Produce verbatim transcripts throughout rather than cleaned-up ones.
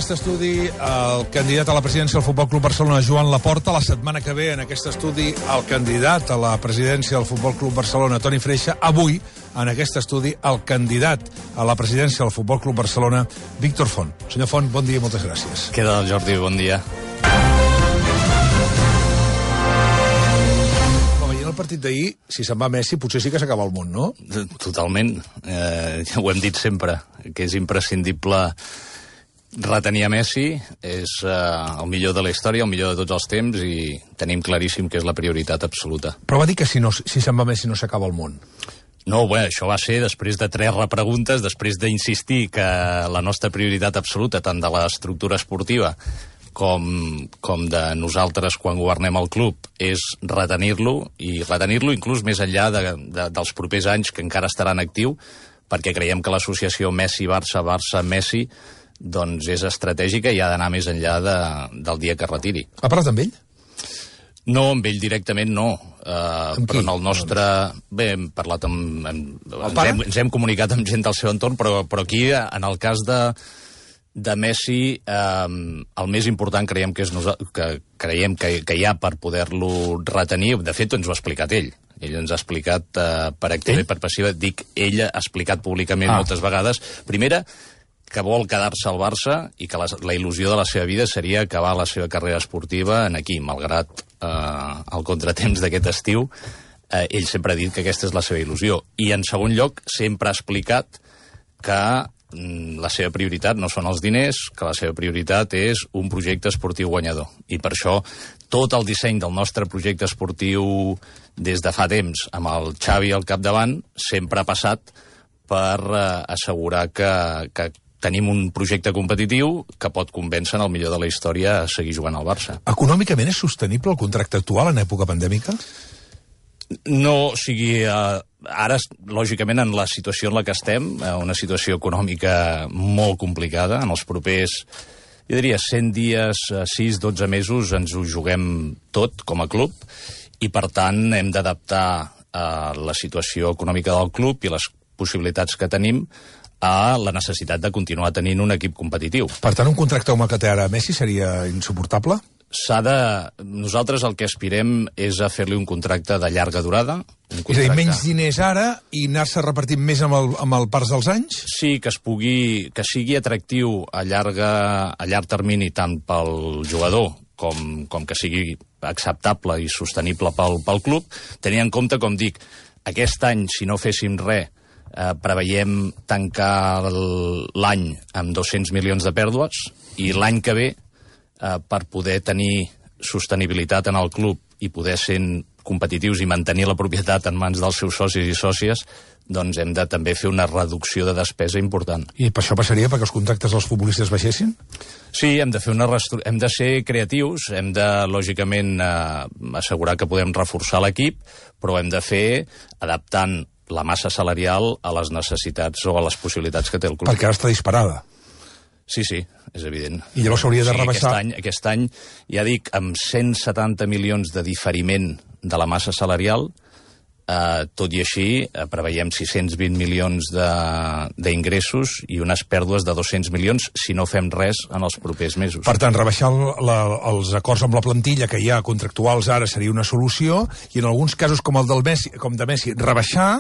aquest estudi el candidat a la presidència del Futbol Club Barcelona, Joan Laporta. La setmana que ve, en aquest estudi, el candidat a la presidència del Futbol Club Barcelona, Toni Freixa. Avui, en aquest estudi, el candidat a la presidència del Futbol Club Barcelona, Víctor Font. Senyor Font, bon dia i moltes gràcies. Què tal, Jordi? Bon dia. El partit d'ahir, si se'n va Messi, potser sí que s'acaba el món, no? Totalment. Eh, ja ho hem dit sempre, que és imprescindible retenir a Messi. És eh, el millor de la història, el millor de tots els temps, i tenim claríssim que és la prioritat absoluta. Però va dir que si, no, si se'n va Messi no s'acaba el món. No, bé, això va ser després de tres repreguntes, després d'insistir que la nostra prioritat absoluta, tant de l'estructura esportiva com, com de nosaltres quan governem el club, és retenir-lo, i retenir-lo inclús més enllà de, de, dels propers anys que encara estarà en actiu, perquè creiem que l'associació Messi-Barça, Barça-Messi, doncs és estratègica i ha d'anar més enllà de, del dia que retiri. Ha parlat amb ell? No, amb ell directament no. Uh, però en el nostre... Bé, hem parlat amb... amb ens, hem, ens hem comunicat amb gent del seu entorn, però, però aquí, en el cas de... de Messi, eh, el més important creiem que és que creiem que, que hi ha per poder-lo retenir. De fet, ens ho ha explicat ell. Ell ens ha explicat eh, per activa i per passiva. Dic, ell ha explicat públicament ah. moltes vegades. Primera, que vol quedar-se al Barça i que la, la il·lusió de la seva vida seria acabar la seva carrera esportiva en aquí, malgrat eh, el contratemps d'aquest estiu. Eh, ell sempre ha dit que aquesta és la seva il·lusió. I, en segon lloc, sempre ha explicat que la seva prioritat no són els diners, que la seva prioritat és un projecte esportiu guanyador. I per això tot el disseny del nostre projecte esportiu des de fa temps, amb el Xavi al capdavant, sempre ha passat per eh, assegurar que, que tenim un projecte competitiu que pot convèncer el millor de la història a seguir jugant al Barça. Econòmicament és sostenible el contracte actual en època pandèmica? No, o sigui, eh, ara, lògicament, en la situació en la que estem, eh, una situació econòmica molt complicada, en els propers, jo diria, cent dies, sis, dotze mesos, ens ho juguem tot com a club, i per tant hem d'adaptar eh, la situació econòmica del club i les possibilitats que tenim a la necessitat de continuar tenint un equip competitiu. Per tant, un contracte com el que té ara Messi seria insuportable? S'ha de... Nosaltres el que aspirem és a fer-li un contracte de llarga durada. Un contracte... És a dir, menys diners ara i anar-se repartint més amb el, amb el pas dels anys? Sí, que es pugui... que sigui atractiu a, llarga, a llarg termini tant pel jugador com, com que sigui acceptable i sostenible pel, pel club, tenint en compte, com dic, aquest any, si no féssim res, eh, preveiem tancar l'any amb dos-cents milions de pèrdues, i l'any que ve, Uh, per poder tenir sostenibilitat en el club i poder ser competitius i mantenir la propietat en mans dels seus socis i sòcies, doncs hem de també fer una reducció de despesa important. I per això passaria perquè els contractes dels futbolistes baixessin? Sí, hem de fer una restru... hem de ser creatius, hem de, lògicament, eh, assegurar que podem reforçar l'equip, però hem de fer adaptant la massa salarial a les necessitats o a les possibilitats que té el club. Perquè ara està disparada. Sí, sí, és evident. I llavors s'hauria de rebaixar... Aquest any, aquest any, ja dic, amb cent setanta milions de diferiment de la massa salarial, eh, tot i així, eh, preveiem sis-cents vint milions d'ingressos i unes pèrdues de dos-cents milions si no fem res en els propers mesos. Per tant, rebaixar el, la, els acords amb la plantilla que hi ha contractuals ara seria una solució, i en alguns casos, com el del Messi, com de Messi, rebaixar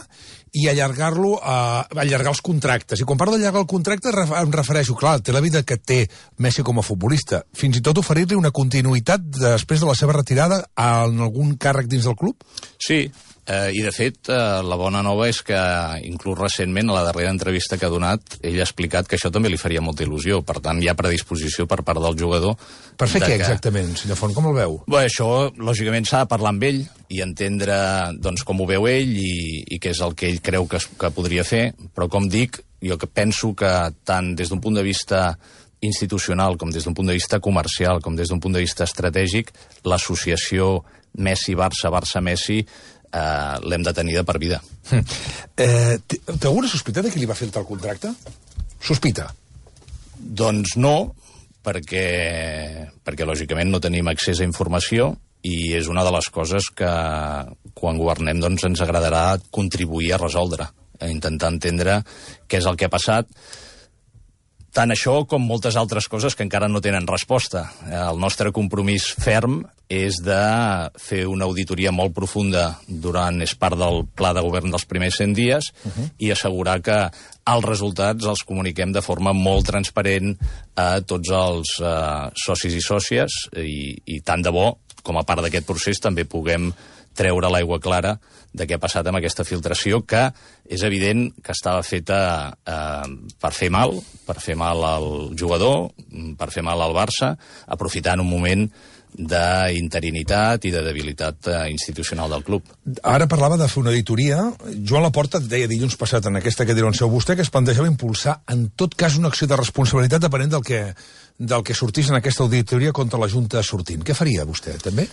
i allargar-lo, a allargar els contractes. I quan parlo d'allargar el contracte em refereixo, clar, té la vida que té Messi com a futbolista, fins i tot oferir-li una continuïtat després de la seva retirada en algun càrrec dins del club? Sí, eh, i de fet eh, la bona nova és que inclús recentment, a la darrera entrevista que ha donat, ell ha explicat que això també li faria molta il·lusió. Per tant, hi ha predisposició per part del jugador. Per fer què que... exactament, senyor Font, com el veu? Bé, això, lògicament, s'ha de parlar amb ell i entendre doncs, com ho veu ell i, i què és el que ell creu que, que podria fer, però com dic, jo que penso que tant des d'un punt de vista institucional com des d'un punt de vista comercial, com des d'un punt de vista estratègic, l'associació Messi-Barça, Barça-Messi eh, l'hem de tenir de per vida. Hm. Eh, té alguna sospita de qui li va fer el contracte? Sospita? Doncs no, perquè, perquè lògicament no tenim accés a informació, i és una de les coses que quan governem doncs, ens agradarà contribuir a resoldre, a intentar entendre què és el que ha passat. tant això com moltes altres coses que encara no tenen resposta. El nostre compromís ferm és de fer una auditoria molt profunda durant, és part del pla de govern dels primers cent dies, uh-huh. i assegurar que els resultats els comuniquem de forma molt transparent a tots els uh, socis i sòcies, i, i tant de bo, com a part d'aquest procés, també puguem treure l'aigua clara de què ha passat amb aquesta filtració, que és evident que estava feta eh, per fer mal, per fer mal al jugador, per fer mal al Barça, aprofitant un moment d'interinitat i de debilitat eh, institucional del club. Ara parlava de fer una auditoria. Joan Laporta deia dilluns passat en aquesta que dirà en seu vostè que es plantejava impulsar en tot cas una acció de responsabilitat depenent del que, del que sortís en aquesta auditoria contra la Junta sortint. Què faria vostè, també?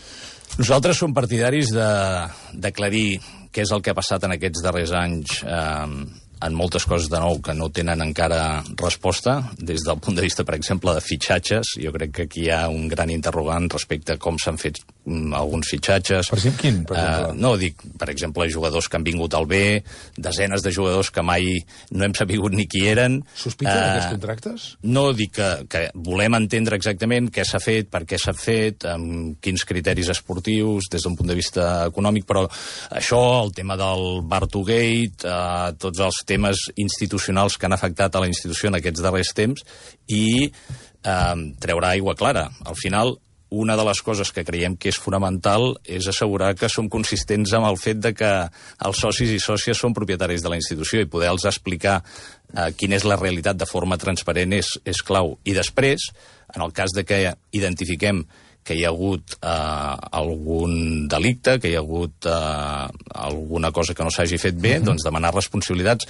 Nosaltres som partidaris d'aclarir què és el que ha passat en aquests darrers anys eh, en moltes coses de nou que no tenen encara resposta, des del punt de vista, per exemple, de fitxatges. Jo crec que aquí hi ha un gran interrogant respecte a com s'han fet mm, alguns fitxatges. Per exemple, quin? Per exemple? Uh, no, dic, per exemple, jugadors que han vingut al B, desenes de jugadors que mai no hem sabut ni qui eren. Sospita uh, d'aquests contractes? No, dic que, que volem entendre exactament què s'ha fet, per què s'ha fet, amb quins criteris esportius, des d'un punt de vista econòmic, però això, el tema del Bartogate, uh, tots els temes institucionals que han afectat a la institució en aquests darrers temps, i eh, treurà aigua clara. Al final, una de les coses que creiem que és fonamental és assegurar que som consistents amb el fet de que els socis i sòcies són propietaris de la institució, i poder-los explicar eh, quina és la realitat de forma transparent és, és clau. I després, en el cas de que identifiquem que hi ha hagut eh, algun delicte, que hi ha hagut eh, alguna cosa que no s'hagi fet bé, uh-huh. doncs demanar responsabilitats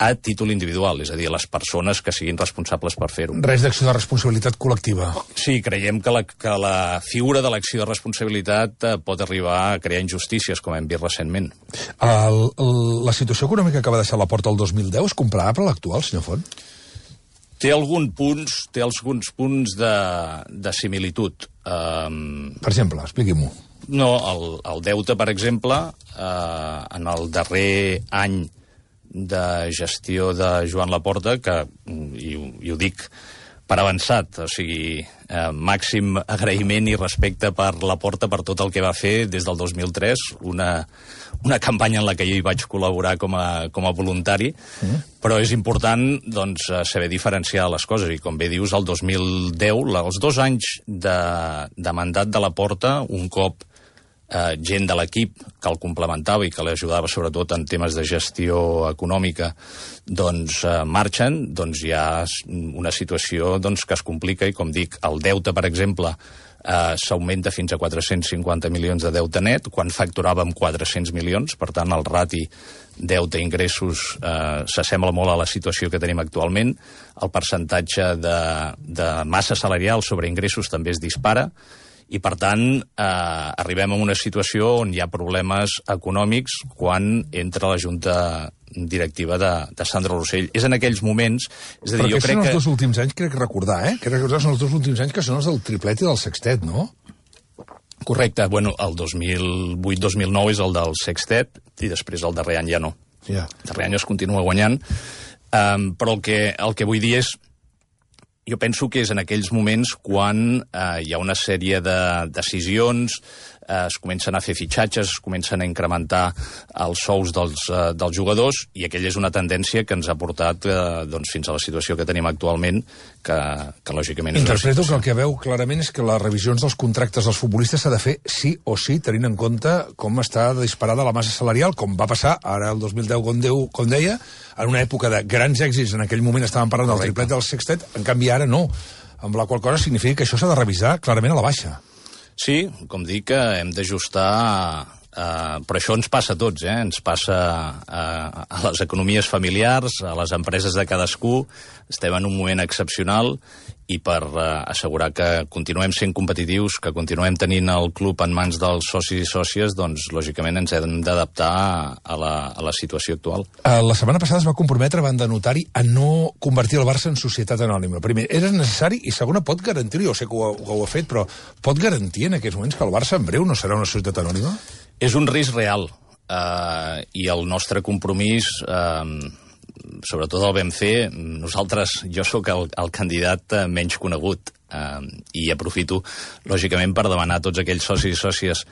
a títol individual, és a dir, a les persones que siguin responsables per fer-ho. Res d'acció de responsabilitat col·lectiva. Sí, creiem que la, que la figura de l'acció de responsabilitat eh, pot arribar a crear injustícies, com hem vist recentment. El, el, la situació econòmica que va deixar la porta el dos mil deu és comparable a l'actual, senyor Font? Té alguns punts, té alguns punts de, de similitud. Um, per exemple, expliqui-m'ho. No, el, el deute, per exemple, uh, en el darrer any de gestió de Joan Laporta, que, i, i ho dic per avançat, o sigui, eh, màxim agraïment i respecte per Laporta per tot el que va fer des del dos mil tres, una, una campanya en la que jo hi vaig col·laborar com a, com a voluntari, mm. però és important doncs, saber diferenciar les coses, i com bé dius, el dos mil deu, els dos anys de, de mandat de Laporta, un cop Eh, gent de l'equip que el complementava i que l'ajudava sobretot en temes de gestió econòmica, doncs eh, marxen, doncs hi ha una situació doncs, que es complica, i com dic, el deute, per exemple, eh, s'augmenta fins a quatre-cents cinquanta milions de deute net, quan facturàvem quatre-cents milions, per tant el rati deute-ingressos eh, s'assembla molt a la situació que tenim actualment, el percentatge de, de massa salarial sobre ingressos també es dispara, i, per tant, eh, arribem a una situació on hi ha problemes econòmics quan entra la Junta directiva de, de Sandro Rosell. És en aquells moments... És a dir, però jo crec són els que... dos últims anys, crec recordar, eh? Crec recordar són els dos últims anys que són els del triplet i del sextet, no? Correcte. Bueno, el dos mil vuit dos mil nou és el del sextet, i després el darrer any ja no. Yeah. El darrer any es continua guanyant. Um, però el que, el que vull dir és... Jo penso que és en aquells moments quan eh, hi ha una sèrie de decisions, eh, es comencen a fer fitxatges, es comencen a incrementar els sous dels, eh, dels jugadors, i aquella és una tendència que ens ha portat eh, doncs, fins a la situació que tenim actualment, que, que lògicament... Interpreto que el que veu clarament és que les revisions dels contractes dels futbolistes s'ha de fer sí o sí, tenint en compte com està disparada la massa salarial, com va passar ara el dos mil deu, com, Déu, com deia, en una època de grans èxits, en aquell moment estàvem parlant del triplet del sextet, en canvi ara no, amb la qual cosa significa que això s'ha de revisar clarament a la baixa. Sí, com dic, hem d'ajustar, eh, però això ens passa a tots, eh? Ens passa eh, a les economies familiars, a les empreses de cadascú, estem en un moment excepcional, i per eh, assegurar que continuem sent competitius, que continuem tenint el club en mans dels socis i sòcies, doncs lògicament ens hem d'adaptar a, la, a la situació actual. La setmana passada es va comprometre davant de notari a no convertir el Barça en societat anònima. Primer, era necessari, i segona, pot garantir, jo sé que ho, que ho ha fet, però pot garantir en aquests moments que el Barça en breu no serà una societat anònima? És un risc real, eh, i el nostre compromís... Eh, sobretot el vam fer, nosaltres, jo sóc el, el candidat menys conegut, eh, i aprofito, lògicament, per demanar a tots aquells socis i sòcies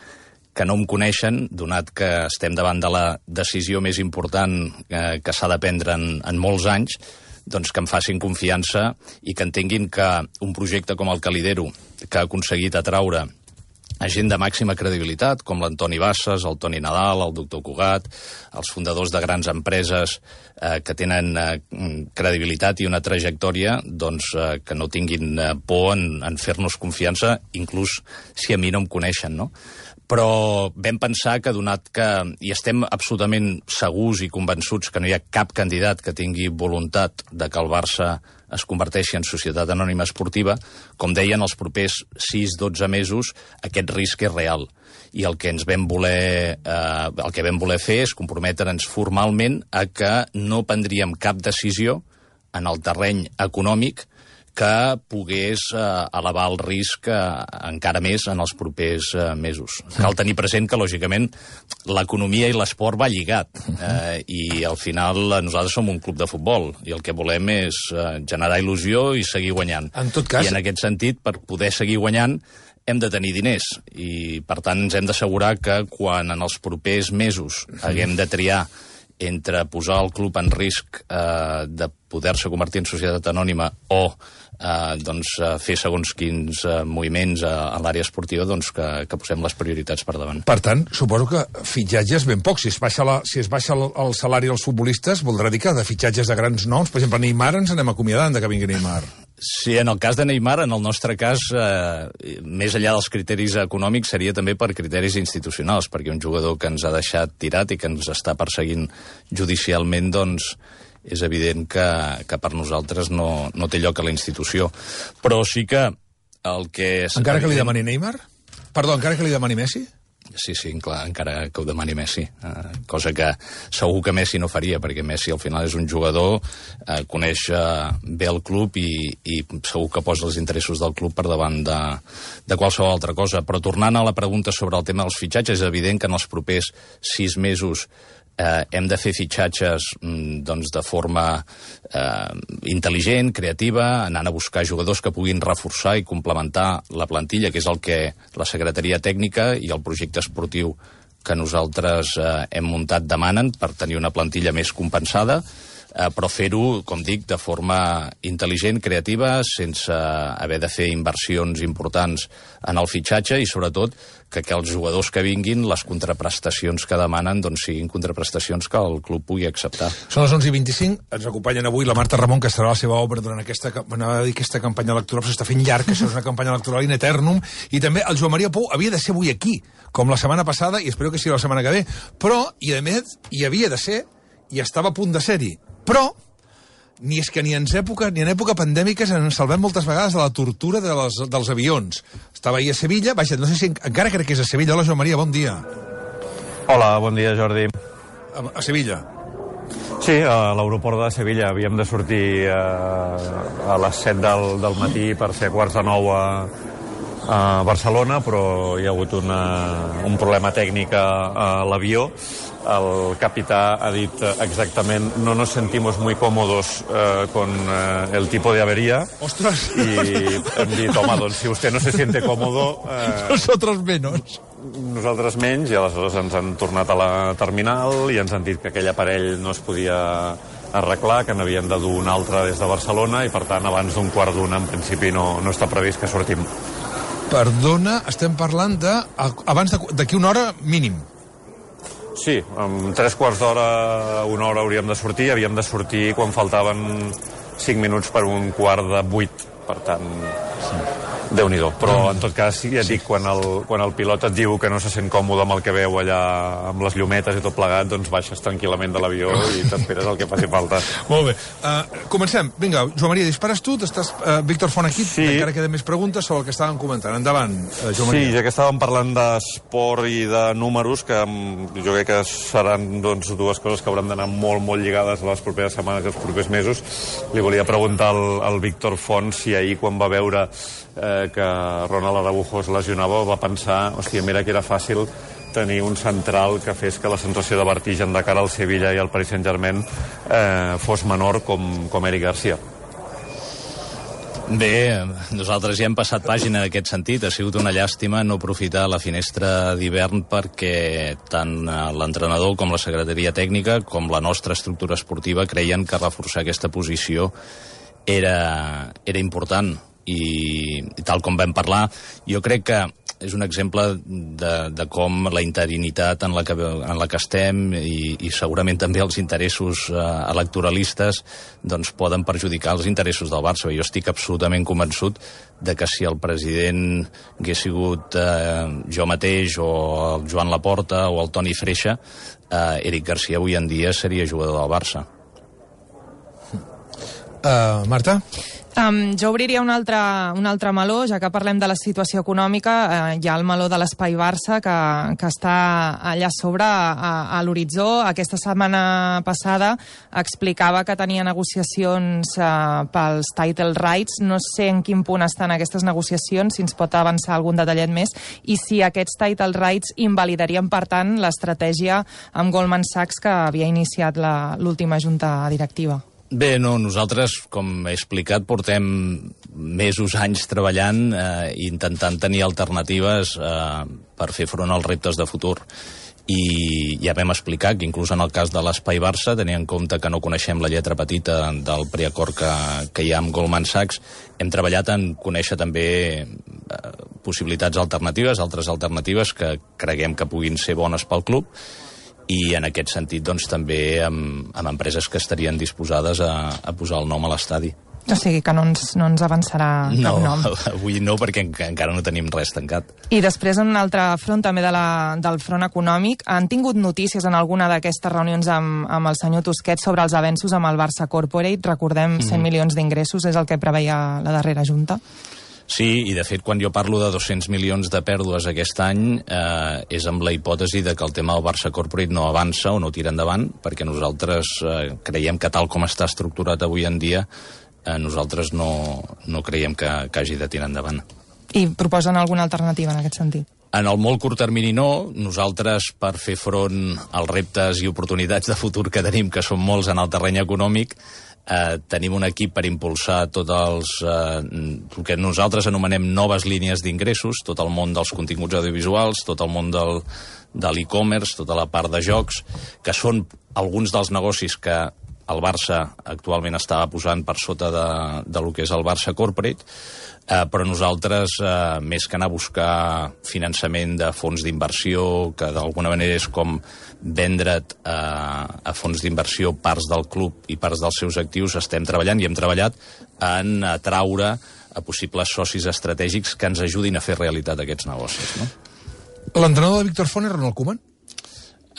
que no em coneixen, donat que estem davant de la decisió més important eh, que s'ha de prendre en, en molts anys, doncs que em facin confiança i que entenguin que un projecte com el que lidero, que ha aconseguit atraure a gent de màxima credibilitat, com l'Antoni Bassas, el Toni Nadal, el doctor Cugat, els fundadors de grans empreses eh, que tenen eh, credibilitat i una trajectòria, doncs eh, que no tinguin eh, por en, en fer-nos confiança, inclús si a mi no em coneixen, no? Però vam pensar que, donat que hi estem absolutament segurs i convençuts que no hi ha cap candidat que tingui voluntat de que el Barça es converteixi en societat anònima esportiva, com deien, els propers sis a dotze mesos aquest risc és real. I el que ens vam voler, eh, el que vam voler fer és comprometre'ns formalment a que no prendríem cap decisió en el terreny econòmic que pogués eh, elevar el risc eh, encara més en els propers eh, mesos. Cal tenir present que, lògicament, l'economia i l'esport va lligat, eh, i al final nosaltres som un club de futbol i el que volem és eh, generar il·lusió i seguir guanyant. En tot cas... I en aquest sentit, per poder seguir guanyant, hem de tenir diners i, per tant, ens hem d'assegurar que quan en els propers mesos haguem de triar entre posar el club en risc eh, de poder-se convertir en societat anònima o eh, doncs, eh, fer segons quins eh, moviments a, a l'àrea esportiva, doncs que, que posem les prioritats per davant. Per tant, suposo que fitxatges ben pocs. Si es baixa, la, si es baixa el, el salari dels futbolistes, voldrà dir que de fitxatges de grans noms, per exemple, Neymar, ens anem acomiadant de que vingui Neymar. Sí, en el cas de Neymar, en el nostre cas, eh, més enllà dels criteris econòmics, seria també per criteris institucionals, perquè un jugador que ens ha deixat tirat i que ens està perseguint judicialment, doncs, és evident que, que per nosaltres no, no té lloc a la institució. Però sí que el que... És encara que li evident... demani Neymar? Perdó, encara que li demani Messi? Sí, sí, clar, encara que ho demani Messi, eh, cosa que segur que Messi no faria, perquè Messi al final és un jugador, eh, coneix eh, bé el club i, i segur que posa els interessos del club per davant de, de qualsevol altra cosa. Però tornant a la pregunta sobre el tema dels fitxatges, és evident que en els propers sis mesos Eh, hem de fer fitxatges mm, doncs, de forma eh, intel·ligent, creativa, anant a buscar jugadors que puguin reforçar i complementar la plantilla, que és el que la Secretaria Tècnica i el projecte esportiu que nosaltres eh, hem muntat demanen per tenir una plantilla més compensada, eh, però fer-ho, com dic, de forma intel·ligent, creativa, sense haver de fer inversions importants en el fitxatge i, sobretot, que, que els jugadors que vinguin, les contraprestacions que demanen, doncs siguin contraprestacions que el club pugui acceptar. Són les onze i vint-i-cinc, ens acompanyen avui la Marta Ramon, que estarà a la seva obra durant aquesta, aquesta campanya electoral, però s'està fent llarg, que això és una campanya electoral in eternum, i també el Joan Maria Pou havia de ser avui aquí, com la setmana passada, i espero que sigui la setmana que ve, però, i a més, hi havia de ser, i estava a punt de ser-hi, però ni és que ni en època ni en època pandèmiques ens salvem moltes vegades de la tortura de les, dels avions. Estava ahir a Sevilla, vaja, no sé si encara crec que és a Sevilla. Hola, Joan Maria, bon dia. Hola, bon dia, Jordi. A, a Sevilla. Sí, a l'aeroport de Sevilla. Havíem de sortir a, a les set del, del matí per ser quarts de nou a, a Barcelona, però hi ha hagut una, un problema tècnic a, a l'avió. El capità ha dit exactament: no nos sentimos muy cómodos eh, con eh, el tipo de avería. ¡Ostras! I hem dit, home, doncs si usted no se siente cómodo... Eh, Nosotros menos. Nosaltres menys, i aleshores ens han tornat a la terminal i ens han dit que aquell aparell no es podia arreglar, que n'havien de dur un altre des de Barcelona i, per tant, abans d'un quart d'una, en principi, no, no està previst que sortim. Perdona, estem parlant de... abans d'aquí una hora mínim. Sí, en tres quarts d'hora, una hora hauríem de sortir. Havíem de sortir quan faltaven cinc minuts per un quart de vuit. Per tant, sí. Déu-n'hi-do. Però, en tot cas, ja et dic, quan el, quan el pilot et diu que no se sent còmode amb el que veu allà, amb les llumetes i tot plegat, doncs baixes tranquil·lament de l'avió i t'esperes el que faci falta. Molt bé. Uh, comencem. Vinga, Joan Maria, dispares tu. Estàs, uh, Víctor Font aquí. Sí. Encara queden més preguntes sobre el que estàvem comentant. Endavant, uh, Joan Maria. Sí, ja que estàvem parlant d'esport i de números, que jo crec que seran doncs, dues coses que hauran d'anar molt, molt lligades a les properes setmanes i els propers mesos, li volia preguntar al, al Víctor Font si ahir, quan va veure eh, que Ronald Araujo es lesionava, va pensar, hòstia, mira que era fàcil tenir un central que fes que la sensació de vertigen de cara al Sevilla i al Paris Saint-Germain eh, fos menor com, com Eric Garcia. Bé, nosaltres ja hem passat pàgina en aquest sentit. Ha sigut una llàstima no aprofitar la finestra d'hivern perquè tant l'entrenador com la secretaria tècnica com la nostra estructura esportiva creien que reforçar aquesta posició era, era important. I, i tal com vam parlar, jo crec que és un exemple de, de com la interinitat en la que, en la que estem i, i segurament també els interessos eh, electoralistes doncs poden perjudicar els interessos del Barça. Jo estic absolutament convençut de que si el president hagués sigut eh, jo mateix o el Joan Laporta o el Toni Freixa, eh, Eric Garcia avui en dia seria jugador del Barça. Uh, Marta? Um, jo obriria un altre, un altre meló, ja que parlem de la situació econòmica. Uh, hi ha el meló de l'Espai Barça, que, que està allà sobre, a, a l'horitzó. Aquesta setmana passada explicava que tenia negociacions uh, pels title rights. No sé en quin punt estan aquestes negociacions, si ens pot avançar algun detallet més, i si aquests title rights invalidarien, per tant, l'estratègia amb Goldman Sachs que havia iniciat l'última junta directiva. Bé, no, nosaltres, com he explicat, portem mesos, anys treballant eh, i intentant tenir alternatives eh, per fer front als reptes de futur. I ja vam explicar que inclús en el cas de l'Espai Barça, tenint en compte que no coneixem la lletra petita del preacord que, que hi ha amb Goldman Sachs, hem treballat en conèixer també eh, possibilitats alternatives, altres alternatives que creguem que puguin ser bones pel club, i en aquest sentit doncs, també amb, amb empreses que estarien disposades a, a posar el nom a l'estadi. O sigui que no ens, no ens avançarà no, cap nom. No, avui no, perquè encara no tenim res tancat. I després, en un altre front, també de la, del front econòmic, han tingut notícies en alguna d'aquestes reunions amb, amb el senyor Tusquets sobre els avenços amb el Barça Corporate? Recordem, cent mm. milions d'ingressos és el que preveia la darrera junta. Sí, i de fet quan jo parlo de dos-cents milions de pèrdues aquest any eh, és amb la hipòtesi de que el tema del Barça Corporate no avança o no tira endavant, perquè nosaltres eh, creiem que tal com està estructurat avui en dia eh, nosaltres no, no creiem que, que hagi de tirar endavant. I proposen alguna alternativa en aquest sentit? En el molt curt termini no. Nosaltres, per fer front als reptes i oportunitats de futur que tenim, que són molts en el terreny econòmic, Eh, tenim un equip per impulsar tots els eh, el que nosaltres anomenem noves línies d'ingressos, tot el món dels continguts audiovisuals, tot el món del, de l'e-commerce, tota la part de jocs, que són alguns dels negocis que el Barça actualment estava posant per sota de, de lo que és el Barça Corporate, eh, però nosaltres, eh, més que anar a buscar finançament de fons d'inversió, que d'alguna manera és com vendre't eh, a fons d'inversió parts del club i parts dels seus actius, estem treballant i hem treballat en atraure a possibles socis estratègics que ens ajudin a fer realitat aquests negocis. No? L'entrenador de Víctor Font és Ronald Koeman?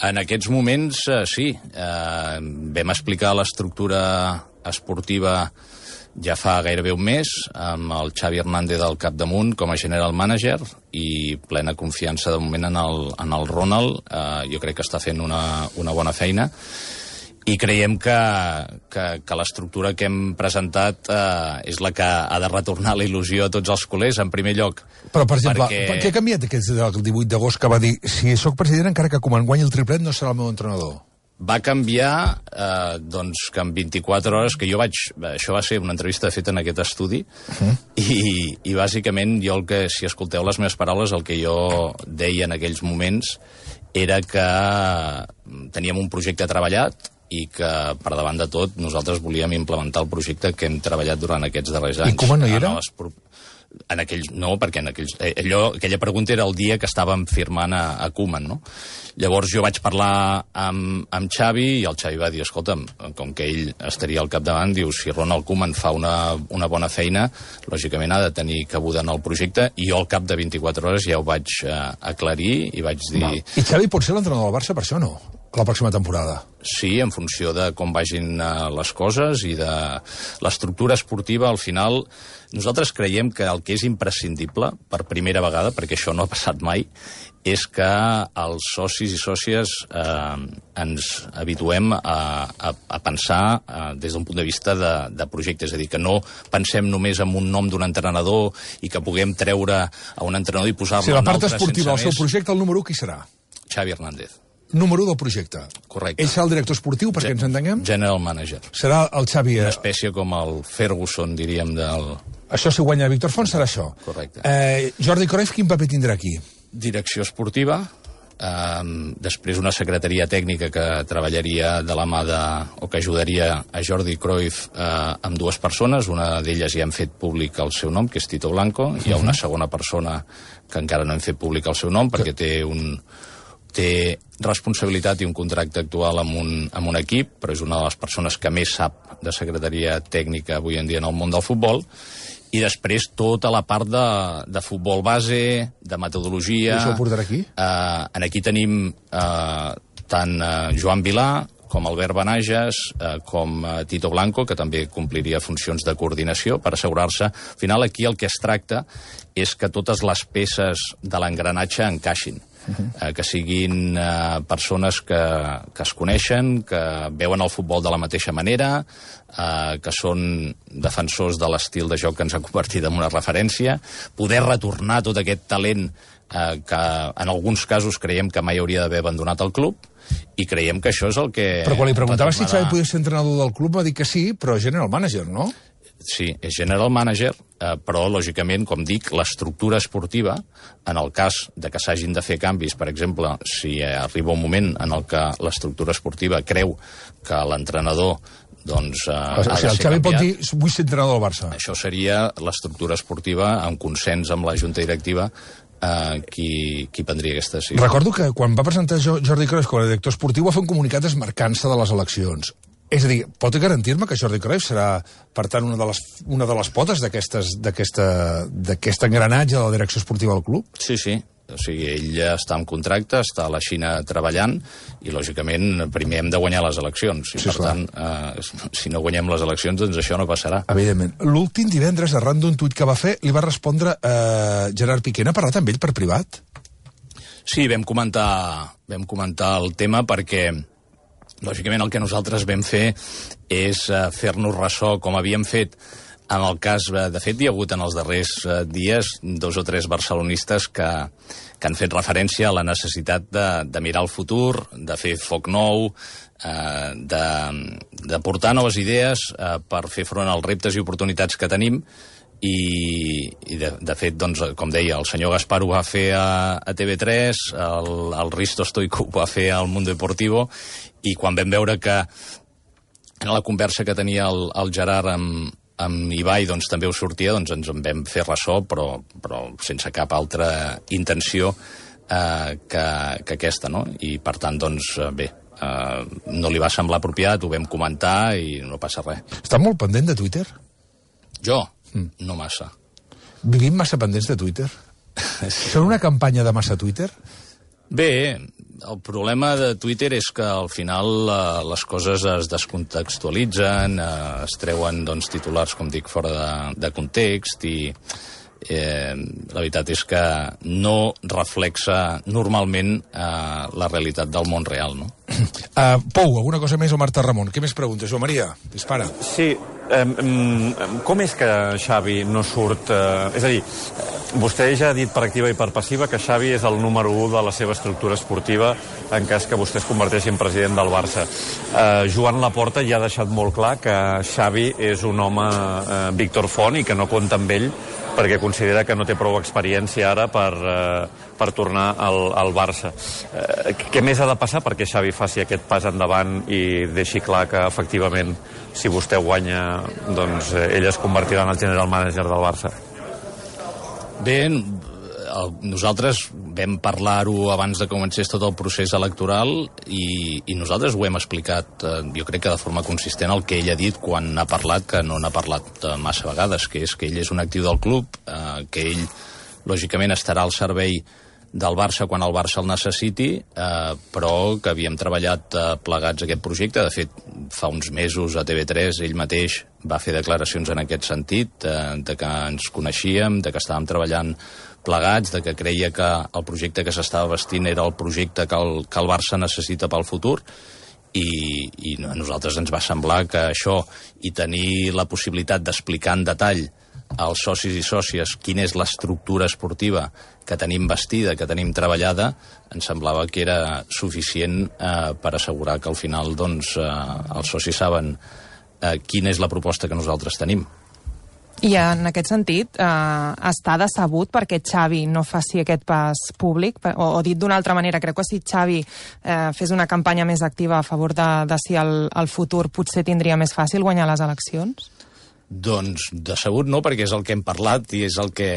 En aquests moments, eh, sí. Eh, vam explicar l'estructura esportiva ja fa gairebé un mes, amb el Xavi Hernández al capdamunt com a general manager i plena confiança de moment en el, en el Ronald. Eh, jo crec que està fent una, una bona feina i creiem que, que, que l'estructura que hem presentat eh, és la que ha de retornar la il·lusió a tots els culers, en primer lloc. Però, per exemple, perquè... què ha canviat aquest del divuit d'agost que va dir si sóc president encara que Koeman guanyi el triplet no serà el meu entrenador? Va canviar, eh, doncs, que en vint-i-quatre hores, que jo vaig... Això va ser una entrevista feta en aquest estudi, uh-huh. i, i bàsicament jo, el que, si escolteu les meves paraules, el que jo deia en aquells moments era que teníem un projecte treballat i que, per davant de tot, nosaltres volíem implementar el projecte que hem treballat durant aquests darrers anys. I Koeman no hi era? En aquells, no, perquè en aquells, allò, aquella pregunta era el dia que estàvem firmant a, a Koeman, no? Llavors jo vaig parlar amb, amb Xavi i el Xavi va dir, escolta'm, com que ell estaria al capdavant, diu, si Ronald Koeman fa una, una bona feina, lògicament ha de tenir cabuda en el projecte, i jo al cap de vint-i-quatre hores ja ho vaig eh, aclarir i vaig dir... Val. I Xavi pot ser l'entrenador del Barça per això o no? La pròxima temporada? Sí, en funció de com vagin uh, les coses i de l'estructura esportiva, al final nosaltres creiem que el que és imprescindible per primera vegada, perquè això no ha passat mai, és que els socis i sòcies eh, ens habituem a, a, a pensar eh, des d'un punt de vista de, de projecte, és a dir, que no pensem només en un nom d'un entrenador i que puguem treure a un entrenador i posar-lo sí, en un altre sense esportiva, el seu més. projecte, el número u, qui serà? Xavi Hernández. Número u del projecte. Correcte. Ell serà el director esportiu, perquè ens entenguem? General manager. Serà el Xavi... Una espècie com el Ferguson, diríem, del... Això, si guanya Víctor Font, serà això. Correcte. Eh, Jordi Cruyff, quin paper tindrà aquí? Direcció esportiva, eh, després una secretaria tècnica que treballaria de la mà de... o que ajudaria a Jordi Cruyff eh, amb dues persones. Una d'elles ja hem fet públic el seu nom, que és Tito Blanco. Hi ha una segona persona que encara no hem fet públic el seu nom, perquè té un... té responsabilitat i un contracte actual amb un, amb un equip, però és una de les persones que més sap de secretaria tècnica avui en dia en el món del futbol, i després tota la part de, de futbol base, de metodologia... I això ho portarà aquí? Eh, aquí tenim eh, tant eh, Joan Vilà, com Albert Benages, eh, com eh, Tito Blanco, que també compliria funcions de coordinació per assegurar-se. Al final, aquí el que es tracta és que totes les peces de l'engranatge encaixin. Uh-huh. eh, que siguin eh, persones que, que es coneixen, que veuen el futbol de la mateixa manera, eh, que són defensors de l'estil de joc que ens ha convertit en una referència, poder retornar tot aquest talent eh, que en alguns casos creiem que mai hauria d'haver abandonat el club, i creiem que això és el que... Però quan li preguntava si Xavi podia ser entrenador del club va dir que sí, però general manager, no? Sí, és general manager, eh, però, lògicament, com dic, l'estructura esportiva, en el cas de que s'hagin de fer canvis, per exemple, si arriba un moment en el que l'estructura esportiva creu que l'entrenador doncs, eh, o sigui, ha de ser el Xavi canviat, pot dir, vull ser entrenador del Barça. Això seria l'estructura esportiva, en consens amb la Junta Directiva, eh, qui, qui prendria aquesta decisió. Recordo que quan va presentar Jordi Cruyff com a director esportiu va fer un comunicat esmarcant-se de les eleccions. És a dir, pot garantir-me que Jordi Cruyff serà, per tant, una de les, una de les potes d'aquest engranatge de la direcció esportiva del club? Sí, sí. O sigui, ell ja està en contracte, està a la Xina treballant, i, lògicament, primer hem de guanyar les eleccions. I, sí, per tant, eh, si no guanyem les eleccions, doncs això no passarà. Evidentment. L'últim divendres, arran d'un tuit que va fer, li va respondre eh, Gerard Piqué. N'ha parlat amb ell per privat? Sí, vam comentar, vam comentar el tema perquè... Lògicament, el que nosaltres vam fer és uh, fer-nos ressò, com havíem fet en el cas... Uh, de fet, hi ha hagut en els darrers uh, dies dos o tres barcelonistes que, que han fet referència a la necessitat de, de mirar el futur, de fer foc nou, uh, de, de portar noves idees uh, per fer front als reptes i oportunitats que tenim. I, i de, de fet, doncs, com deia, el senyor Gaspar ho va fer a, a T V tres, el, el Risto Stoico ho va fer al Mundo Deportivo, i quan vam veure que en la conversa que tenia el, el Gerard amb, amb Ibai doncs, també ho sortia, doncs ens en vam fer ressò, però, però sense cap altra intenció eh, que, que aquesta, no? I per tant, doncs, bé, eh, no li va semblar apropiat, ho vam comentar i no passa res. Està molt pendent de Twitter? Jo? Mm. No massa. Vivim massa pendents de Twitter? Sí. Són una campanya de massa Twitter? Bé, el problema de Twitter és que al final eh, les coses es descontextualitzen, eh, es treuen doncs, titulars, com dic, fora de, de context, i eh, la veritat és que no reflexa normalment eh, la realitat del món real, no? Uh, Pou, alguna cosa més o Marta Ramon? Què més preguntes? Joan Maria, dispara. Sí, um, com és que Xavi no surt... Uh, és a dir, vostè ja ha dit per activa i per passiva que Xavi és el número u de la seva estructura esportiva en cas que vostè es converteixi en president del Barça. Uh, Joan Laporta ja ha deixat molt clar que Xavi és un home uh, Víctor Font i que no compta amb ell perquè considera que no té prou experiència ara per, uh, per tornar al, al Barça. Uh, què més ha de passar perquè Xavi faci aquest pas endavant i deixi clar que, efectivament, si vostè guanya, doncs ell es convertirà en el general manager del Barça? Bé, nosaltres vam parlar-ho abans de comencés tot el procés electoral i, i nosaltres ho hem explicat, eh, jo crec que de forma consistent, el que ell ha dit quan ha parlat, que no n'ha parlat eh, massa vegades, que és que ell és un actiu del club, eh, que ell, lògicament, estarà al servei del Barça quan el Barça el necessiti, eh, però que havíem treballat eh, plegats aquest projecte. De fet, fa uns mesos a T V tres ell mateix va fer declaracions en aquest sentit, eh, de que ens coneixíem, de que estàvem treballant plegats, de que creia que el projecte que s'estava vestint era el projecte que el, que el Barça necessita pel futur, i, i a nosaltres ens va semblar que això, i tenir la possibilitat d'explicar en detall als socis i sòcies quina és l'estructura esportiva que tenim vestida, que tenim treballada, ens semblava que era suficient eh, per assegurar que al final doncs, eh, els socis saben eh, quina és la proposta que nosaltres tenim. I en aquest sentit, eh, està decebut perquè Xavi no faci aquest pas públic? O, o dit d'una altra manera, creu que si Xavi eh, fes una campanya més activa a favor de, de si el, el futur potser tindria més fàcil guanyar les eleccions? Doncs decebut no, perquè és el que hem parlat i és el que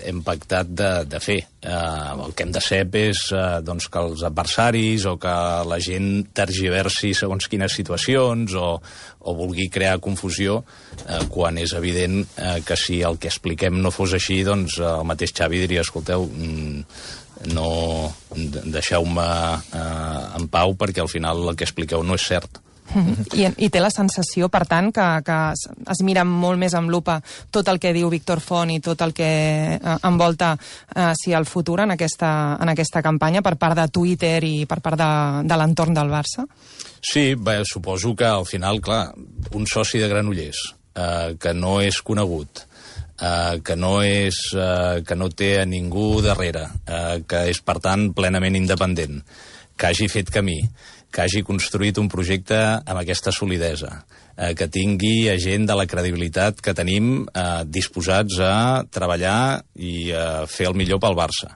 hem pactat de, de fer. Uh, el que hem de ser és uh, doncs que els adversaris o que la gent tergiversi segons quines situacions o, o vulgui crear confusió uh, quan és evident uh, que si el que expliquem no fos així, doncs uh, el mateix Xavi diria, escolteu, mm, no deixeu-me uh, en pau perquè al final el que expliqueu no és cert. I, I té la sensació, per tant, que, que es, es mira molt més amb lupa tot el que diu Víctor Font i tot el que eh, envolta eh, si el futur en aquesta, en aquesta campanya per part de Twitter i per part de, de l'entorn del Barça? Sí, bé, suposo que al final, clar, un soci de Granollers eh, que no és conegut, eh, que, no és, eh, que no té a ningú darrere, eh, que és, per tant, plenament independent, que hagi fet camí, que hagi construït un projecte amb aquesta solidesa, eh, que tingui a gent de la credibilitat que tenim eh, disposats a treballar i a fer el millor pel Barça.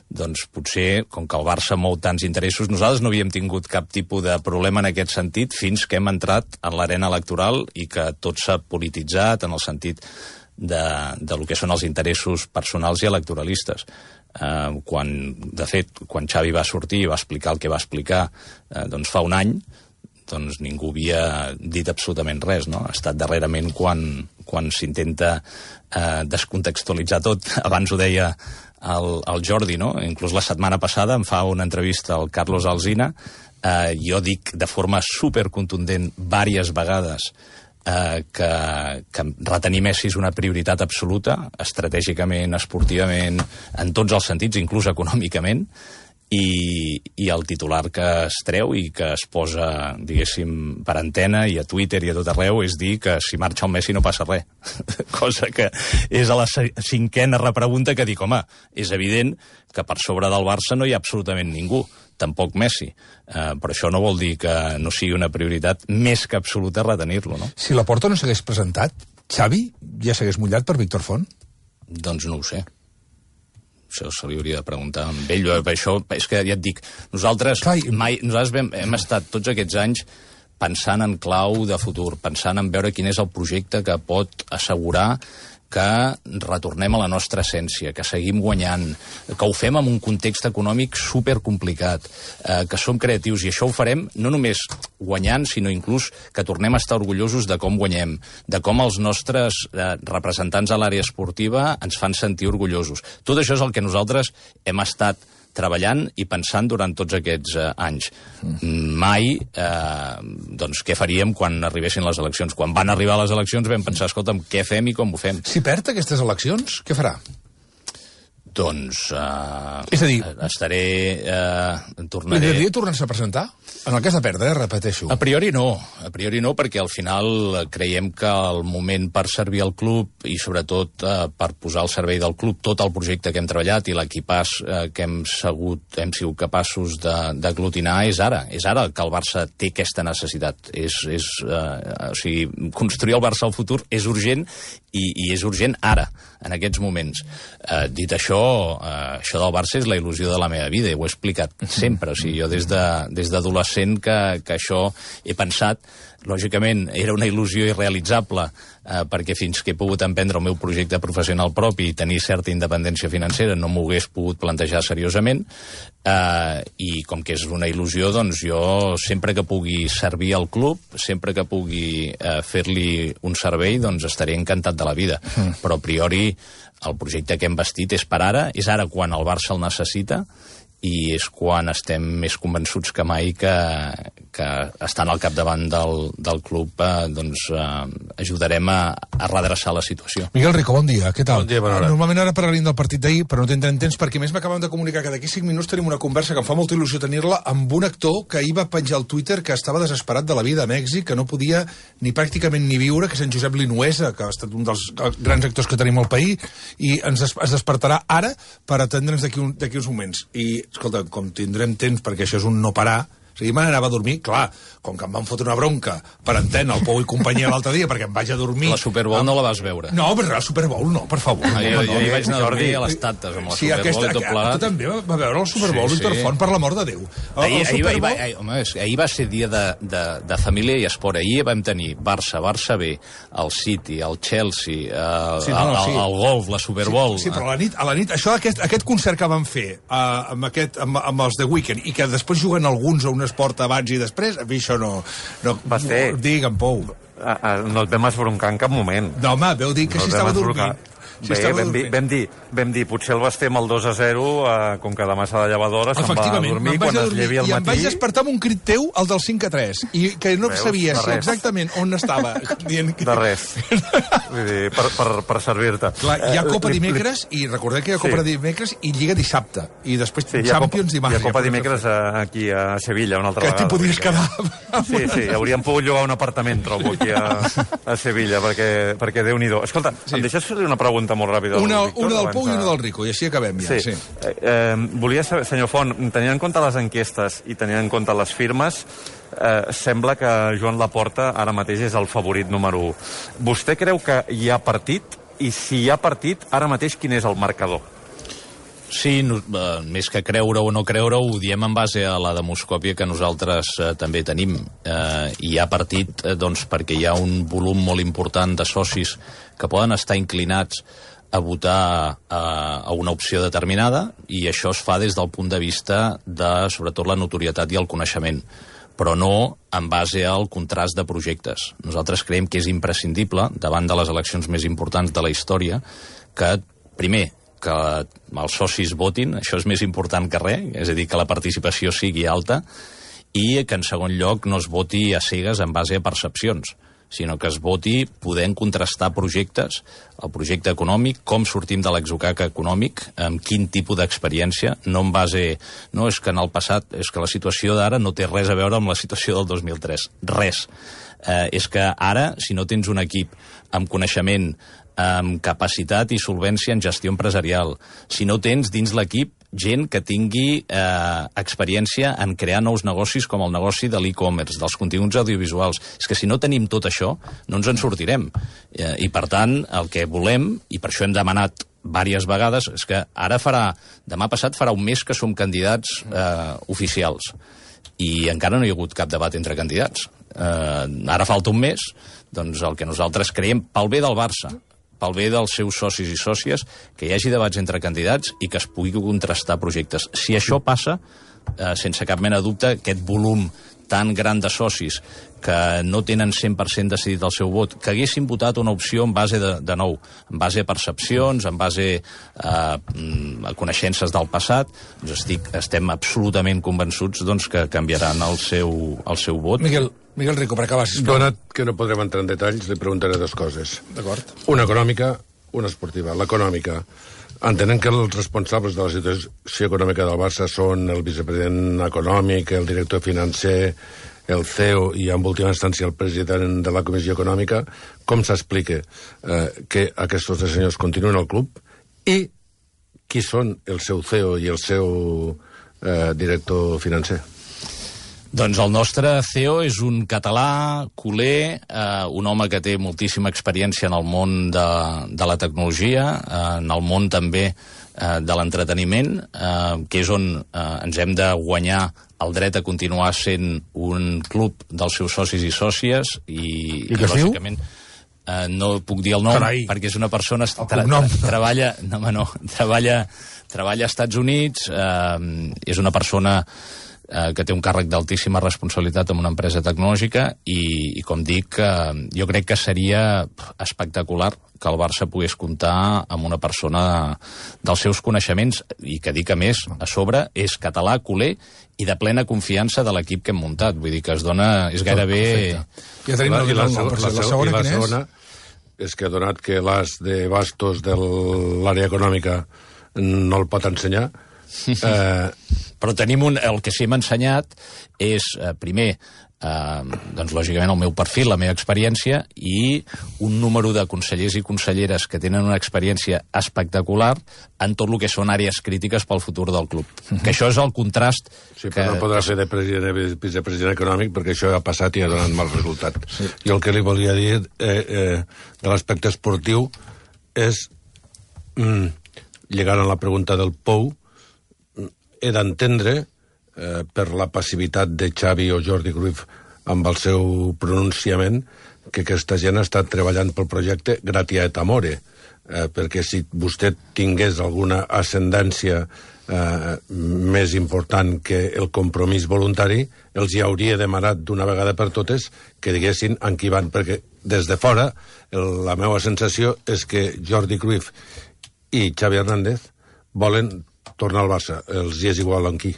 Doncs potser, com que el Barça mou tants interessos, nosaltres no havíem tingut cap tipus de problema en aquest sentit fins que hem entrat en l'arena electoral i que tot s'ha polititzat en el sentit de, de lo que són els interessos personals i electoralistes. Uh, quan, de fet, quan Xavi va sortir i va explicar el que va explicar uh, doncs fa un any, doncs ningú havia dit absolutament res, no? Ha estat darrerament quan, quan s'intenta uh, descontextualitzar tot. Abans ho deia el, el Jordi, no? Inclús la setmana passada em fa una entrevista al Carlos Alsina, uh, jo dic de forma supercontundent diverses vegades Eh, que, que retenir Messi és una prioritat absoluta, estratègicament, esportivament, en tots els sentits, inclús econòmicament, i, i el titular que es treu i que es posa, diguéssim, per antena i a Twitter i a tot arreu és dir que si marxa el Messi no passa res. Cosa que és a la cinquena repregunta que dic, home, és evident que per sobre del Barça no hi ha absolutament ningú, tampoc Messi. Uh, però això no vol dir que no sigui una prioritat més que absoluta retenir-lo, no? Si Laporta no s'hagués presentat, Xavi ja s'hagués mullat per Víctor Font? Doncs no ho sé. Això se li hauria de preguntar amb ell. Això, és que ja et dic, nosaltres, Clar, mai, nosaltres hem, hem estat tots aquests anys pensant en clau de futur, pensant en veure quin és el projecte que pot assegurar que retornem a la nostra essència, que seguim guanyant, que ho fem en un context econòmic supercomplicat, eh, que som creatius, i això ho farem no només guanyant, sinó inclús que tornem a estar orgullosos de com guanyem, de com els nostres eh, representants a l'àrea esportiva ens fan sentir orgullosos. Tot això és el que nosaltres hem estat treballant i pensant durant tots aquests eh, anys. Mm. Mai, eh, doncs, què faríem quan arribessin les eleccions? Quan van arribar les eleccions vam pensar, escolta'm, què fem i com ho fem? Si perd aquestes eleccions, què farà? Doncs uh, és a dir, estaré... Uh, tornaré... M'agradaria tornar-se a presentar? En el cas de perdre, eh, repeteixo. A priori no, a priori no, perquè al final creiem que el moment per servir al club i sobretot uh, per posar al servei del club tot el projecte que hem treballat i l'equipàs uh, que hem sigut, hem sigut capaços d'aglutinar és ara. És ara que el Barça té aquesta necessitat. És, és, uh, o sigui, construir el Barça al futur és urgent i, i és urgent ara, en aquests moments. Uh, dit això, uh, això del Barça és la il·lusió de la meva vida, i ho he explicat sempre. O sigui, jo des de, des d'adolescent que, que això he pensat, lògicament era una il·lusió irrealitzable, eh, perquè fins que he pogut emprendre el meu projecte professional propi i tenir certa independència financera no m'ho hagués pogut plantejar seriosament, eh, i com que és una il·lusió, doncs jo sempre que pugui servir al club, sempre que pugui eh, fer-li un servei, doncs estaré encantat de la vida. Mm. Però a priori el projecte que hem vestit és per ara, és ara quan el Barça el necessita, i és quan estem més convençuts que mai que, que estant al capdavant del, del club eh, doncs, eh, ajudarem a, a redreçar la situació. Miguel Rico, bon dia, què tal? Bon dia, bona hora. Normalment ara parlaríem del partit d'ahir, però no tindrem temps perquè més m'acaben de comunicar que d'aquí cinc minuts tenim una conversa que em fa molta il·lusió tenir-la amb un actor que ahir va penjar al Twitter que estava desesperat de la vida a Mèxic, que no podia ni pràcticament ni viure, que és en Josep Linuesa, que ha estat un dels grans actors que tenim al país, i ens es, es despertarà ara per atendre'ns d'aquí un, d'aquí uns moments. I, escolta, com tindrem temps, perquè això és un no parar, o sigui, me n'anava a dormir, clar, com que em van fotre una bronca per antena, el Pou i companyia l'altre dia, perquè em vaig a dormir... La Super Bowl amb... no la vas veure? No, però la Super Bowl no, per favor. Ah, jo, no, jo no, hi vaig anar a dormir Jordi, a les tantes amb la sí, Super aquesta, Bowl i tot plegat. Tu també va veure el Super Bowl, sí, Víctor sí. Font, per l'amor de Déu. El, ahir, el ahir, Super ahir, Bowl... ahir, home, ahir va ser dia de, de, de família i esport. Ahir vam tenir Barça, Barça B, el City, el Chelsea, eh, sí, no, no, el, sí. el golf, la Super Bowl... Sí, sí, però a la nit, a la nit això, aquest, aquest concert que van fer uh, amb, aquest, amb, amb els The Weeknd i que després juguen alguns a un esport abans i després, a mi això no... no va ser... Digue'm, Pou. A, a, no et vam esbroncar en cap moment. No, home, veu dir que no si estava dormint. Si Bé, vam dir, vam, dir, vam dir, potser el Basté amb el dos a zero, eh, com que demà s'ha de llevar d'hora, se'n va a dormir quan es llevi al matí. I em vaig despertar amb un crit teu, el del cinc a tres, i que no Veus, sabia si exactament on estava. Dient que... De res. Vull dir, per, per, per servir-te. Clar, hi ha Copa dimecres, i recordeu que hi ha Copa sí. dimecres i Lliga dissabte, i després sí, Champions dimarts. Hi ha Copa dimecres aquí a Sevilla, una altra que vegada. Que t'hi podies quedar. Sí, sí, hauríem pogut llogar un apartament, trobo, aquí a, a Sevilla, perquè, perquè Déu-n'hi-do. Escolta, sí. em deixes fer-li una pregunta molt ràpida? Una, Víctor, una del Pou i una del Rico, i així acabem ja. Sí. sí. Eh, eh, volia saber, senyor Font, tenint en compte les enquestes i tenint en compte les firmes, eh, sembla que Joan Laporta ara mateix és el favorit número u. Vostè creu que hi ha partit? I si hi ha partit, ara mateix quin és el marcador? Sí, no, eh, més que creure o no creure, ho diem en base a la demoscòpia que nosaltres eh, també tenim. Eh, hi ha partit eh, doncs, perquè hi ha un volum molt important de socis que poden estar inclinats a votar a, a una opció determinada, i això es fa des del punt de vista de, sobretot, la notorietat i el coneixement, però no en base al contrast de projectes. Nosaltres creiem que és imprescindible, davant de les eleccions més importants de la història, que, primer, que els socis votin, això és més important que res, és a dir, que la participació sigui alta, i que, en segon lloc, no es voti a cegues en base a percepcions, sinó que es voti podent contrastar projectes, el projecte econòmic, com sortim de l'exocac econòmic, amb quin tipus d'experiència, no en base... No, és que en el passat, és que la situació d'ara no té res a veure amb la situació del dos mil tres. Res. Eh, és que ara, si no tens un equip amb coneixement, amb capacitat i solvència en gestió empresarial, si no tens dins l'equip gent que tingui eh, experiència en crear nous negocis com el negoci de l'e-commerce, dels continguts audiovisuals. És que si no tenim tot això, no ens en sortirem. Eh, I, per tant, el que volem, i per això hem demanat diverses vegades, és que ara farà, demà passat farà un mes que som candidats eh, oficials. I encara no hi ha hagut cap debat entre candidats. Eh, ara falta un mes, doncs el que nosaltres creiem, pel bé del Barça, pel bé dels seus socis i sòcies, que hi hagi debats entre candidats i que es pugui contrastar projectes. Si això passa, eh, sense cap mena de dubte, aquest volum tan gran de socis que no tenen cent per cent decidit el seu vot, que haguessin votat una opció en base de, de nou, en base a percepcions, en base eh, a coneixences del passat, doncs estic, estem absolutament convençuts doncs, que canviaran el seu, el seu vot. Miguel, Miguel Rico, per acabar, sisplau. Donat que no podrem entrar en detalls, li preguntaré dues coses. D'acord. Una econòmica, una esportiva. L'econòmica, entenent que els responsables de la situació econòmica del Barça són el vicepresident econòmic, el director financer, el C E O i, en última instància, el president de la Comissió Econòmica, com s'explica eh, que aquests tres senyors continuen al club i qui són el seu C E O i el seu eh, director financer? Doncs el nostre C E O és un català, culer, eh, un home que té moltíssima experiència en el món de, de la tecnologia, eh, en el món també eh, de l'entreteniment, eh, que és on eh, ens hem de guanyar el dret a continuar sent un club dels seus socis i sòcies, i, I, i lògicament... Eh, no puc dir el nom, Carai. perquè és una persona... Tra tra treballa, no, no, treballa, treballa als Estats Units, eh, és una persona eh, que té un càrrec d'altíssima responsabilitat en una empresa tecnològica i, i com dic, eh, jo crec que seria espectacular que el Barça pogués comptar amb una persona dels seus coneixements i que dic a més, a sobre, és català, culer i de plena confiança de l'equip que hem muntat. Vull dir que es dona... és gairebé... Ja tenim el la, nom, la, la, la segona, la segona és que donat que l'as de bastos de l'àrea econòmica no el pot ensenyar... Eh... Però tenim un... El que sí hem ensenyat és, eh, primer, eh, doncs, lògicament, el meu perfil, la meva experiència, i un número de consellers i conselleres que tenen una experiència espectacular en tot el que són àrees crítiques pel futur del club. Uh-huh. Que això és el contrast... Sí, que... però no podrà ser de president, vicepresident econòmic, perquè això ha passat i ha donat mal resultat. Sí. Jo el que li volia dir eh, eh, de l'aspecte esportiu és, mm, lligant a la pregunta del Pou, he d'entendre, eh, per la passivitat de Xavi o Jordi Cruyff amb el seu pronunciament, que aquesta gent ha estat treballant pel projecte gratia et amore, eh, perquè si vostè tingués alguna ascendència eh, més important que el compromís voluntari, els hi hauria demanat d'una vegada per totes que diguessin en qui van, perquè des de fora el, la meva sensació és que Jordi Cruyff i Xavi Hernández volen tornar al Barça, els hi és igual en qui.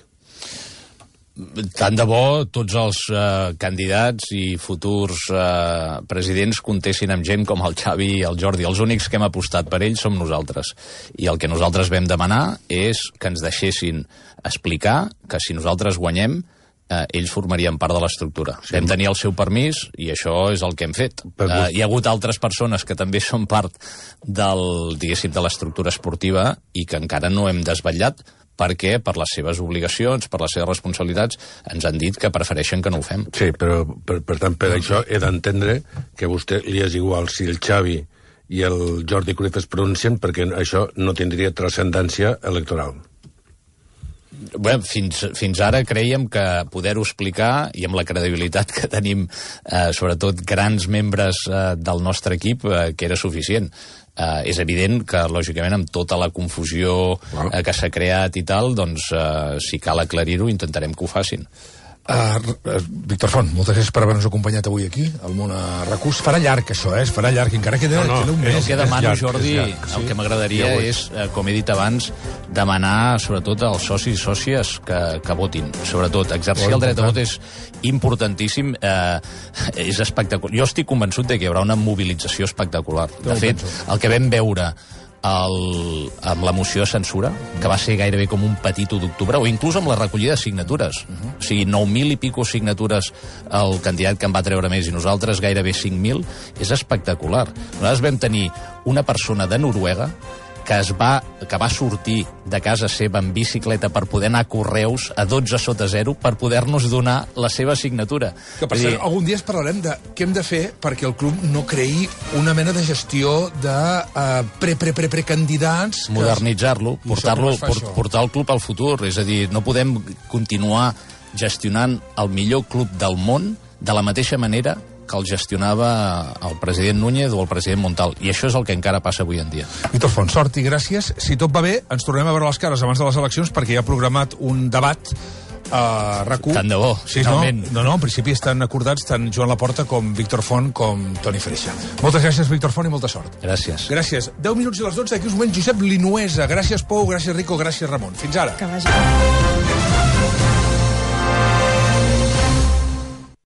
Tant de bo tots els eh, candidats i futurs eh, presidents comptessin amb gent com el Xavi i el Jordi. Els únics que hem apostat per ells som nosaltres. I el que nosaltres vam demanar és que ens deixessin explicar que si nosaltres guanyem, eh, ells formarien part de l'estructura. Sí. Vam tenir el seu permís i això és el que hem fet. Eh, hi ha hagut altres persones que també són part del, diguéssim, de l'estructura esportiva i que encara no hem desvetllat, perquè per les seves obligacions, per les seves responsabilitats, ens han dit que prefereixen que no ho fem. Sí, però per, per tant, per això he d'entendre que a vostè li és igual si el Xavi i el Jordi Cruyff es pronuncien, perquè això no tindria transcendència electoral. Bé, fins, fins ara creiem que poder-ho explicar, i amb la credibilitat que tenim, eh, sobretot grans membres eh, del nostre equip, eh, que era suficient. Uh, és evident que, lògicament, amb tota la confusió uh, que s'ha creat i tal, doncs, uh, si cal aclarir-ho, intentarem que ho facin. Uh, Víctor Font, moltes gràcies per haver-nos acompanyat avui aquí, al món a Recurs. Farà llarg, això, eh? Es farà llarg, encara queda, no, no, queda un mes. El que demano, Jordi, llarg, sí. el que m'agradaria ja és, eh, com he dit abans, demanar, sobretot, als socis i sòcies que, que votin. Sobretot, exercir el dret a vot és importantíssim. Eh, és espectacular. Jo estic convençut de que hi haurà una mobilització espectacular. De fet, el que vam veure El, amb la moció de censura, que va ser gairebé com un petit u d'octubre, o inclús amb la recollida de signatures. Uh-huh. O sigui, nou mil i pico signatures el candidat que en va treure més i nosaltres gairebé cinc mil, és espectacular. Nosaltres vam tenir una persona de Noruega que es va, que va sortir de casa seva en bicicleta per poder anar a Correus a dotze sota zero per poder-nos donar la seva signatura. Que, per cert, algun dia es parlarem de què hem de fer perquè el club no creï una mena de gestió de uh, pre-pre-pre-pre-candidats... Modernitzar-lo, portar-lo, port, portar el club al futur. És a dir, no podem continuar gestionant el millor club del món de la mateixa manera que el gestionava el president Núñez o el president Montal. I això és el que encara passa avui en dia. Víctor Font, sort i gràcies. Si tot va bé, ens tornem a veure les cares abans de les eleccions perquè hi ha programat un debat a RAC u. Tant de bo, sí, finalment. No, no, no, en principi estan acordats tant Joan Laporta com Víctor Font com Toni Freixa. Moltes gràcies, Víctor Font, i molta sort. Gràcies. Gràcies. deu minuts i les dotze, d'aquí uns moments Josep Linuesa. Gràcies, Pou, gràcies, Rico, gràcies, Ramon. Fins ara. Que vagi.